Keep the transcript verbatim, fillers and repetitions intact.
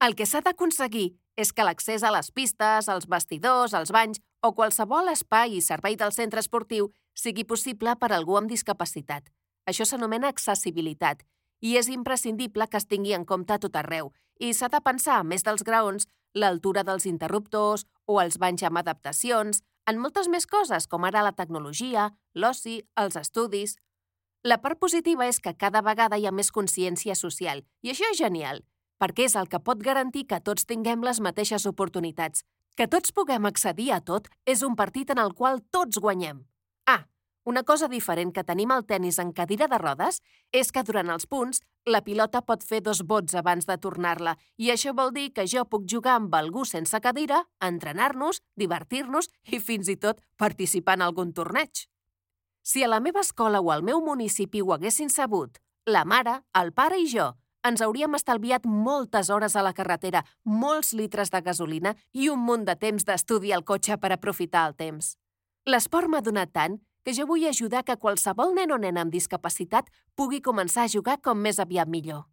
El que s'ha d'aconseguir és que l'accés a les pistes, als vestidors, als banys o qualsevol espai i servei del centre esportiu sigui possible per a algú amb discapacitat. Això s'anomena accessibilitat i és imprescindible que es tingui en compte a tot arreu i s'ha de pensar, a més dels graons, l'altura dels interruptors o els banys amb adaptacions, en moltes més coses com ara la tecnologia, l'oci, els estudis. La part positiva és que cada vegada hi ha més consciència social i això és genial, perquè és el que pot garantir que tots tinguem les mateixes oportunitats. Que tots puguem accedir a tot és un partit en el qual tots guanyem. Ah, una cosa diferent que tenim al tennis en cadira de rodes és que durant els punts la pilota pot fer dos bots abans de tornar-la i això vol dir que jo puc jugar amb algú sense cadira, entrenar-nos, divertir-nos i fins i tot participar en algun torneig. Si a la meva escola o al meu municipi ho haguessin sabut, la mare, el pare i jo ens hauríem estalviat moltes hores a la carretera, molts litres de gasolina i un munt de temps d'estudi al cotxe per aprofitar el temps. L'esport m'ha donat tant que jo vull ajudar que qualsevol nen o nena amb discapacitat pugui començar a jugar com més aviat millor.